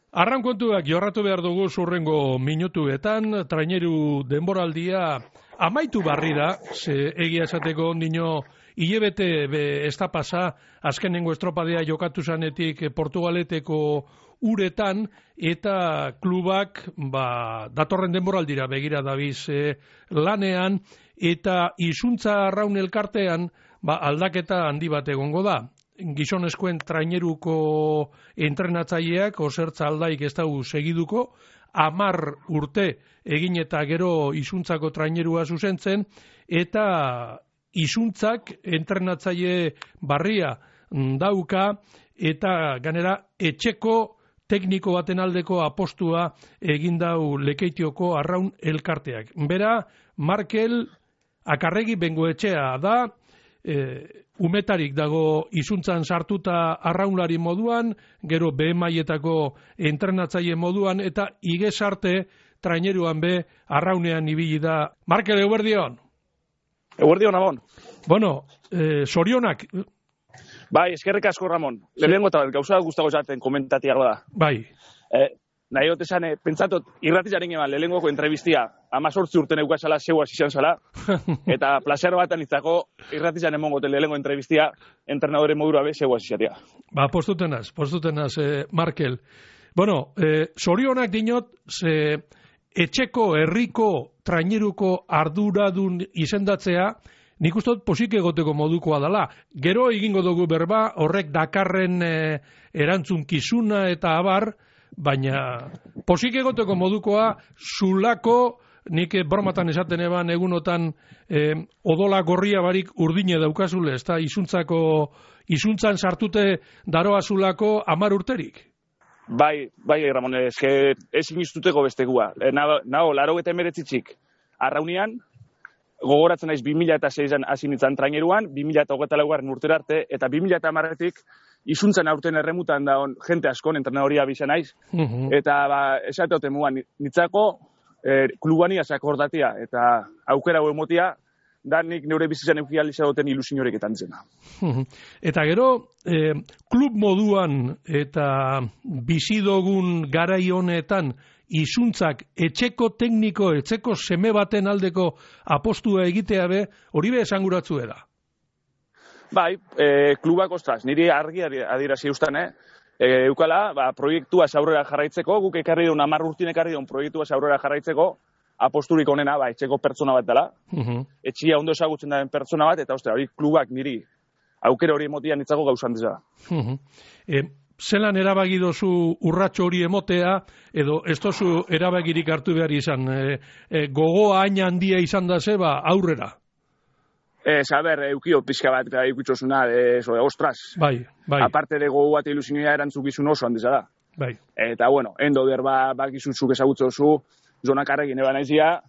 Arrankontuak jorratu behar dugu zurrengo minutuetan, traineru denboraldia amaitu barri da, ze egia esateko ondino hilebete ez da pasa, azkenengo estropadea jokatu zanetik Portugaleteko uretan, eta klubak datorren denboraldira begira dabiz lanean, eta izuntza arraun elkartean aldaketa handi bat egongo da. Gizonezkoen traineruko entrenatzaileak Osertza Aldaik ez dugu segiduko, 10 urte egin eta gero izuntzako trainerua zuzentzen, eta izuntzak entrenatzaile barria dauka, eta ganera etxeko tekniko baten aldeko apostua egin dau Lekeitioko arraun elkarteak. Bera, Markel Akarregi Bengoetxea da, umetarik dago izuntzan sartuta arraunlari moduan, gero BMaietako entrenatzaile moduan, eta igesarte traineruan be arraunean ibili da. Markel, eguerdion? Eguerdion, Ramon. Bueno, sorionak. Bai, eskerrik asko, Ramon. Lehenengo eta gauza gustago zaten komentatiago da. Bai. Nahi dut esan, pentsatot, irratizaren eman lehenengoko entrevistia 18 urten eukazala zeuaz izan zala, eta placer batan itzako irratizan emongo lehenengo entrevistia entrenadore modura be zeuaz izatea. Postutenaz, Markel. Bueno, sorionak dinot, ze etxeko herriko traineruko arduradun izendatzea, nik uste dut posik egoteko modukoa dela. Gero egingo dugu berba, horrek dakarren erantzunkizuna eta abar, baina posik egoteko modukoa zulako, nik bromatan esaten eban egunotan odola gorria barik urdine daukazule, ez da izuntzan sartute daroa zulako 10 urterik. Bai, Ramon, ez iniztuteko bestegua. Nago, 89 arraunian, gogoratzen naiz 2006an hasi nintzen traineruan, 2024 urtera arte, eta 2010tik izuntzen aurten erremutan da jente askon entrenadoria bizan naiz, eta esateoten mugan, nitzako klubani asakordatia, eta aukera hau emotia, da nik neure bizitzan eukializadoten ilusiorik etantzena. Eta gero, klub moduan eta bizidogun garai honetan izuntzak etxeko tekniko, etxeko seme baten aldeko apostua egitea be, hori be esanguratzu da. Bai, klubak ostras, niri argi adierazi ustan, eukala, proiektua aurrera jarraitzeko, guk ekarri duen 10 urtin ekarri duen proiektua aurrera jarraitzeko, aposturik onena, etxeko pertsona bat dela, etxia ondo ezagutzen daren pertsona bat, eta hori klubak niri aukera hori emotian nitzako gauzan dira. Zelan erabaki dozu urratxo hori emotea, edo ez dozu erabakirik hartu behar izan, gogoa hain handia izan da zeba aurrera? Eukio pizka bat eukitxosuna, ostras. Bai. Aparte de gogo bat ilusioa erantzukizun oso handiza da. Bai. Eta, endo derba bakizutzuk ezagutzozu, zonakarrekin eban aizia,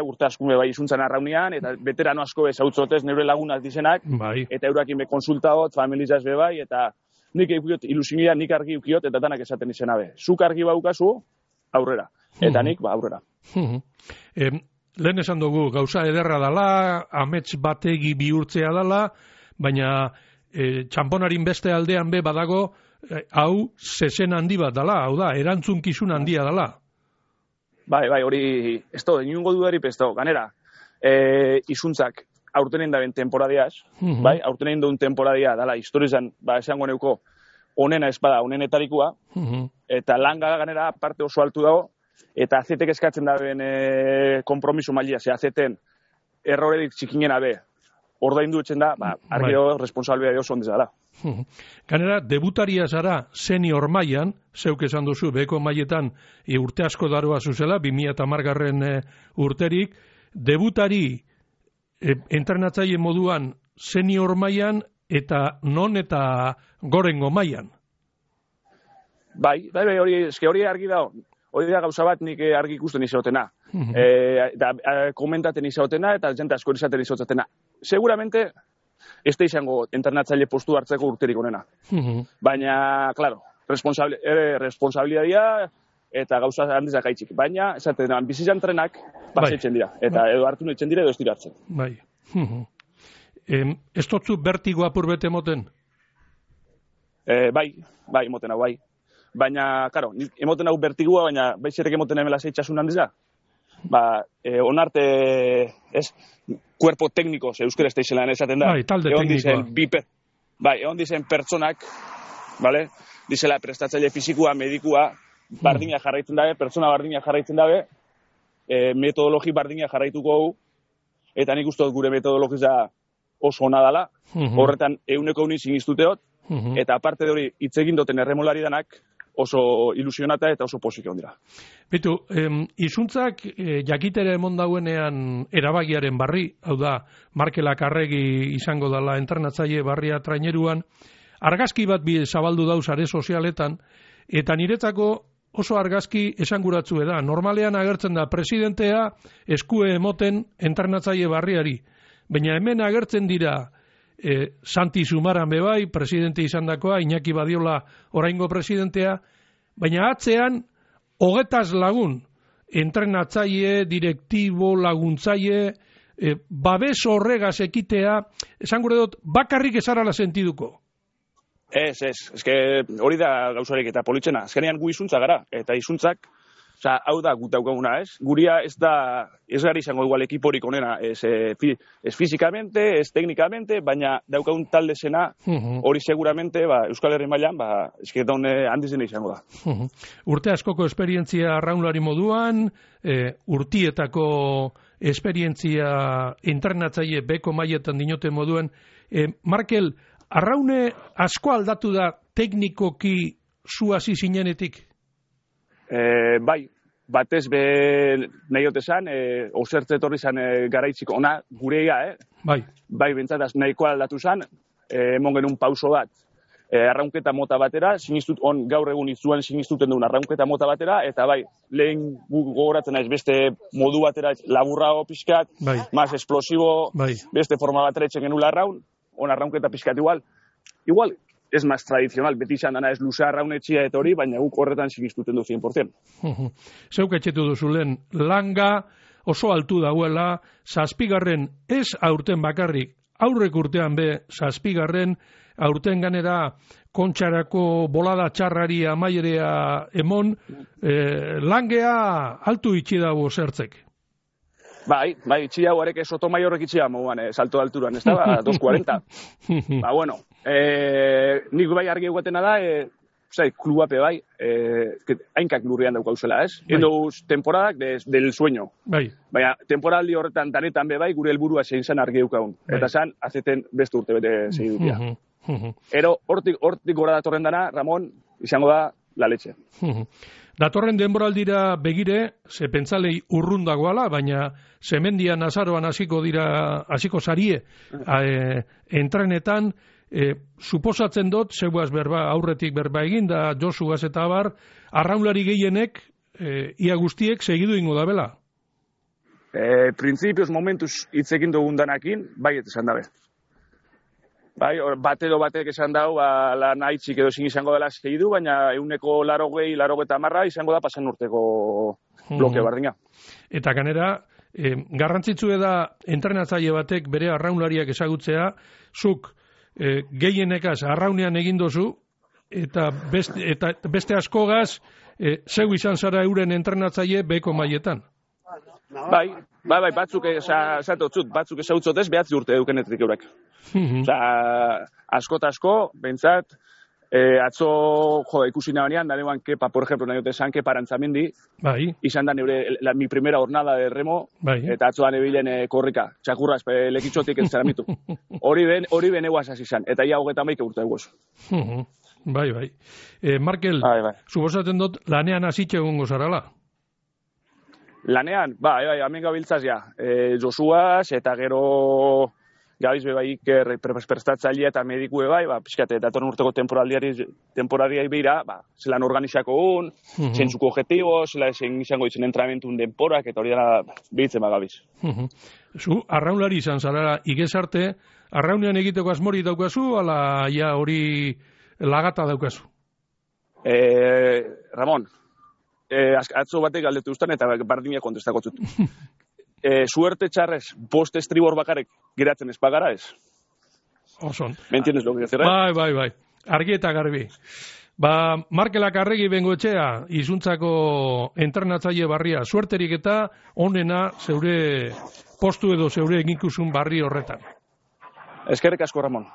urte askume bai izuntzan arraunian, eta veterano asko ezagutzotez neure lagunak dizenak, bai. Eta eurakin be konsultaot, familizaz be bai, eta nik eukiot ilusioa, nik argi eukiot, eta danak esaten izena be. Zuk argi baukazu, aurrera. Eta nik, aurrera. Lehen esan dugu, gauza ederra dala, amets bategi bihurtzea dala, baina txamponarin beste aldean be badago, hau zezen handi bat dala, hau da, erantzunkizun handia dala. Bai, hori, ez da, inungo dudarik ez da, ganera, izuntzak aurtenen daben temporadiaz, bai, aurtenen duen temporadia dala, historizan, esango neuko, onena ez bada, onenetarikoa, eta langa ganera parte oso altu dago, eta azetek eskatzen daben kompromiso mailia, ze azeten errorerik txikinen abe, ordaindu etzen da, argio responsabilidade oso ondez dela. Ganera, debutaria zara senior mailan, zeuk esan duzu, beko mailetan urte asko daroa zuzela, 2010 urterik, debutari entrenatzaile moduan senior mailan eta non eta gorengo mailan. Bai, hori argi dago. Hori da gauza bat nik argi ikusten izotena. Eta komentaten izotena eta jente asko izaten izotena. Seguramente ez da izango entrenatzaile postu hartzeko urterik onena. Baina, claro, responsabilidadia eta gauza handizak haitzik. Baina, esaten, bizizan trenak pasetzen dira. Eta edo hartu netzen dira edo ez dira hartzen. Bai. Ez dutzu bertigo apur bete moten? Bai, moten hau, bai. baina, karo, emoten hau bertigua, baina baizerek emoten emela zeitxasun handiza. Onarte, cuerpo técnico, euskera ez da izelan esaten da. Talde teknikoa. Egon dizen pertsonak, vale? Dizela prestatzaile fizikua, medikua, bardina jarraitzen dabe, pertsona bardina jarraitzen dabe, metodologi bardina jarraituko gu, eta nik uste gure metodologia oso ona dala, horretan 100% sinistuteot, eta aparte de hori hitz egin duten erremolari danak oso ilusionata eta oso pozik egon dira. Bitu, izuntzak jakitere emon dauenean erabagiaren barri, hau da, Markelak Arregi izango dala entrenatzaile barria traineruan, argazki bat bi zabaldu dauz are sozialetan, eta niretzako oso argazki esanguratzu da. Normalean agertzen da presidentea eskue emoten entrenatzaile barriari, baina hemen agertzen dira Santi Zumaran bebai, presidente izandakoa, Iñaki Badiola oraingo presidentea, baina atzean 20 lagun, entrenatzaile, direktibo, laguntzaile, babes horregaz ekitea, esan gure dut, bakarrik ezarala sentiduko. Ez, hori da gauzarik eta politxena. Azkenean gu izuntza gara, eta izuntzak, hau da gut daukaguna, ez? Guria ez gari izango igual ekiporik onena, ez fizikamente, ez teknikamente, baina daukagun talde zena, hori seguramente, Euskal Herri mailan, esketan handizena izango da. Urte askoko esperientzia arraunlari moduan, urtietako esperientzia entrenatzaile beko mailetan dinote moduen, Markel, arraune asko aldatu da teknikoki zu hasi zinenetik? Bai, batez be nahi otezan, osertze etorri zan garaitzik ona gureia, Bai, bentsataz nahikoa aldatu zan, emon genuen pauso bat, arraunketa mota batera, gaur egun izuan sinistuten duen arraunketa mota batera, eta bai, lehen gogoratzen naiz beste modu batera laburrago pixkat, más explosibo, beste forma batera etxen genuen arraunketa pixkat igual, ez maz tradizional, beti izan dana ez luza arraunetxia eta hori, baina guk horretan sinistuten du 100%. Zeuk etxetu duzu lehen, langa oso altu dauela, 7. ez aurten bakarrik, aurrek urtean be 7. aurten ganera kontxarako bolada txarrari amaierea emon, langea altu itxi dago zertzek. Bai, itxi dago arek Sotomaiorrek itxi dago salto de alturan, ez da, 2.40. Bueno, nik bai argi eguatena da, klubape bai, hainkak lurrian daukauzela, ez? Endo temporadak del sueño. Baina, temporaldi horretan danetan be bai, gure helburua zein zen argi eukagun. Eta zan, azeten beste urte bete segidutia. Ero, hortik gora datorren dana, Ramon, izango da, la leche. Datorren denboraldira begire, ze pentzalei urrundagoala, baina zemendian azaroan hasiko zarie entrenetan, suposatzen dut, zeuaz berba, aurretik berba egin, da Josugaz eta abar, arraunlari gehienek, ia guztiek, segidu ingo da bela? Printzipioz momentuz hitzekin dugun danakin, bai esan dabe. Bai, bat edo batek esan dau, lan haitzik edo zin izango dela segidu, baina 180 izango da pasan urteko bloke bardina. Eta ganera, garrantzitsu da entrenatzaile batek bere arraunlariak ezagutzea, zuk gehienekaz arraunean egin dozu, eta beste askogaz, zeu izan zara euren entrenatzaile beko mailetan. Bai, batzuk ezagutzot ez, behatzi urte edukenetik eurek. Asko eta asko, bentsat, atzo ikusi nabanean, danean Kepa, por ejemplo, nahi ote zan Kepa Arantzamendi, izan da mi primera jornada de remo, eta atzo da nebilen korrika, txakurra lekitxotik ez zaramitu. Hori ben eguaz hasi izan, eta ia hogetan baik urte eguaz. Bai. Markel, suposatzen dut, lanean hasitxe egongo zarala? Lanean, bai, hemen gabiltzaz ja. Josuaz, eta gero gabiz bebai prestatzailea eta mediku bebai, pixkate, datorren urteko temporadiai behira, zelan organizako un, zentzuko objetibo, zelan izango ditzen entramentun denporak, eta hori dara behitzen gabiz. Zu, arraunlari izan zara, igezarte, arraunean egiteko asmori daukazu, ala ja hori lagata daukazu? Ramon, atzo batek galdetu ustan eta bardina kontestako zut. Suerte txarrez, bost estribor bakarek geratzen ez pagara ez? Oson. ¿Me entiendes lo que decir? Bai. Argi eta garbi. Markelak Arregi Bengoetxea, izuntzako entrenatzaile barria, suerterik eta onena zeure postu edo zeure eginkizun barri horretan. Eskerrik asko, Ramon.